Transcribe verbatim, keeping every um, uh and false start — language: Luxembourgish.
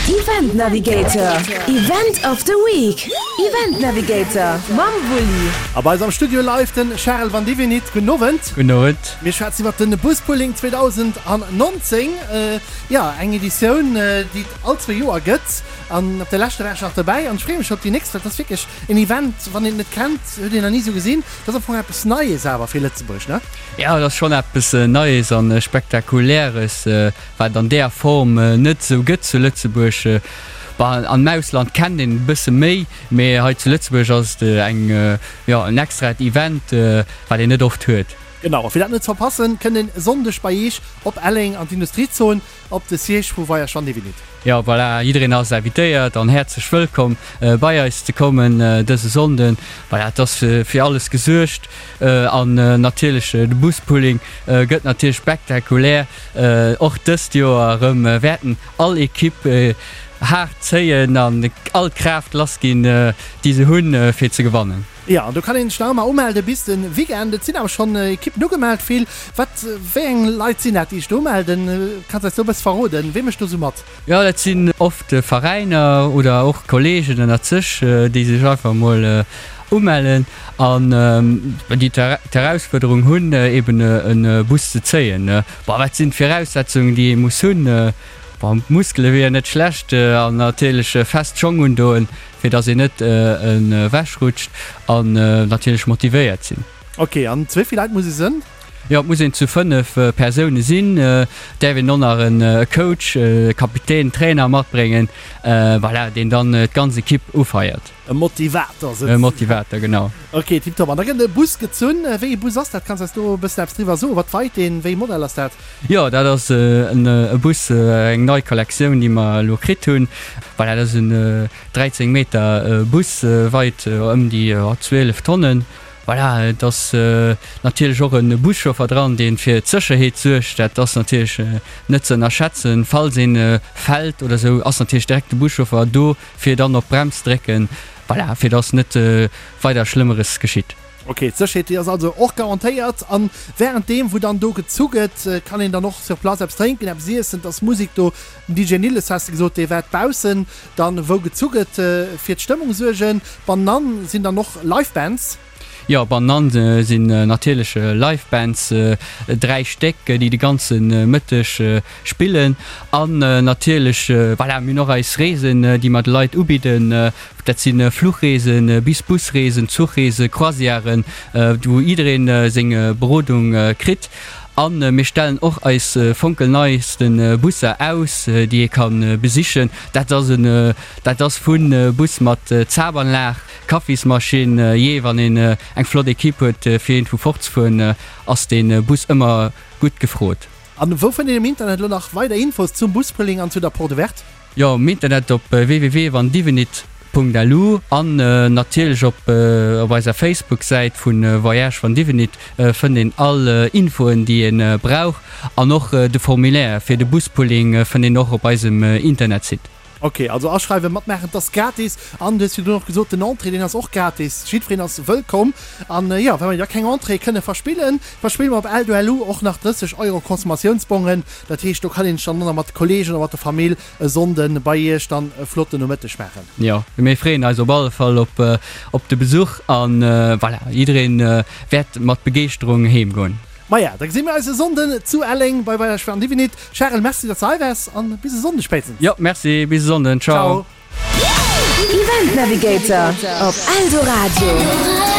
Event Navigator, Event of the Week, Event Navigator mam Wulli. A bei eis am Studio live den Charel Vandivinit. Gudden Owend. Gudden Owend. Mir schwätzen iwwert den Buspulling zweedausendnonzéng. Jo, eng Editioun, déi et all zwee Joer gëtt. An op der leschter war ech nach dobäi an ech freeë mech op déi nächst, well et ass wierklech en Event, wann een et net kennt, huet een nach ni esou gesinn. Dat ass am Fong eppes Neies awer fir Lëtzebuerg, ne? Jo, et ass schonn eppes Neies an Spektakuläres, wat et an där Form net esou gëtt zu Lëtzebuerg. Bon, am Ausland kennt een e bësse méi, mee hei zu Lëtzebuerg ass et eng, jo, en extraet Event, wat een net oft huet. Genau, a fir dat net ze verpassen, kënnt een e Sonndeg bei Eech op Elleng an d'Industriezon op de Siège vu Voyage Van Divinit. Jo, voilà, jiddereen ass invitéiert an häerzlech wëllkomm bei eis ze kommen dëse Sonnden. Voilà, et ass fir alles gesuergt an natierlech de Buspulling gëtt natierlech spektakulär. Och dëst Joer erëm wäerten all Equipe haart zéien an all d'Kraaft lassginn, déi se hunn, fir ze gewannen. Jo, an do kann een sech nach ëmmer umelde bis de Weekend. Et sinn awer schonn Ekippen ugemellt. Vill. Wat, wéi eng Leit sinn dat, déi sech do umelden? Kanns eis do e bësse verroden, wee mécht do sou mat? Jo, dat sinn oft Veräiner oder och Kolleegen ënnert sech, déi sech einfach emol umellen an déi d'Herausfuerderung hunn, eben e Bus ze zéien. Bon, wat sinn d'Viraussetzungen, déi ee muss hunn? Bon, Muskele wieren net schlecht an natierlech fest Schong undoen, fir dass een net ewechrutscht an natierlech motivéiert sinn. Ok, an zu wéi vill Leit muss ee sënn? Jo, et muss een zu fënnef Persoune sinn. Et däerf een och nach e Coach, e Kapitän, Trainer matbréngen, voilà, deen dann d'ganz Ekipp ufeiert. E Motivator souzesoen. E Motivator, genau. Ok, tiptop. An da gëtt e Bus gezunn. Wéi ee Bus ass dat? Kanns eis do e bëssen eppes driwwer soen? Wat weit deen? Wéi ee Modell ass dat? Jo, dat ass e Bus, eng nei Kollektioun, déi mer elo kritt hunn. Voilà, dat ass en dräizéng Meter Bus, weit ëm déi zwielef Tonnen. Voilà, et ass natierlech och e Buschauffer dran, dee fir d'Sécherheet suergt. Dat ass natierlech net ze ënnerschätzen. Falls ee fält oder esou, ass natierlech direkt de Buschauffer do, fir dann op d'Brems drécken. Voilà, fir dass net weider Schlëmmeres geschitt. Ok, d'Sécherheet, déi ass also och garantéiert. A wärend deem, wou dann do gezu gëtt, kann een dann och sur place eppes drénken, eppes iessen. Et ass Musek do. Den D J Nilles, has de gesot, dee wäert baussen dann, wou gezu gëtt, fir d'Stëmmung suergen. Bannenan sinn dann och Live Bands. Jo, bannenan sinn natierlech Live Bands, dräi Stéck, déi de ganze Mëtteg spillen. An natierlech, voilà, mir hunn och eis Reesen, déi mer de Leit ubidden. Dat si Fluchreesen, bis Busreesen, Zuchreesen, Croisièren, wou jidderee seng Berodung kritt. A mir stellen och eis fonkelneisten Busser aus, déi ee ka besichen. Dat ass en, dat ass vu Bus mat Zabanlag, Kaffismaschinn, jee, wann een eng flott Equipe huet fir iergendwou fortzefueren, ass dee Bus ëmmer gutt gefrot. An wou fënnt een am Internet elo nach weider Infos zum Buspulling an zu der Porte Ouverte? Jo, am Internet op www.vandivenit punkt lu an natierlech op op eiser Facebook-Säit vu Voyage van Divenit fënnt een all Infoen déi een brauch an och de Formulaire fir de Buspulling fënnt een och op eisem Internetsite. Ok, also aschreiwen, matmaachen, 't ass gratis an du hues virdrun och gesot, den Entrée deen ass och gratis, jiddwereen ass wëllkomm. An jo, well mer jo keng Entrée kënne verspillen, verspille mer op Eldo L U och nach drësseg Euro Consommatiounsbongen. Dat heescht, do kann een sech dann och nach mat de Kollegen oder mat der Famill e Sonnden bei iech dann e flotten Nomëtteg maachen. Jo, mir freeën eis op alle Fall op op de Besuch an voilà, jiddereen wäert mat Begeeschterung heem goen. Maja, da gesi mir eis e Sonnden zu Elleng bei Weiler Schwan Divinit. Charel, merci, datt s de hei waars an bis e Sonndeg spéitstens. Jo, merci, bis e Sonnden. Ciao. Event Navigator op Eldoradio.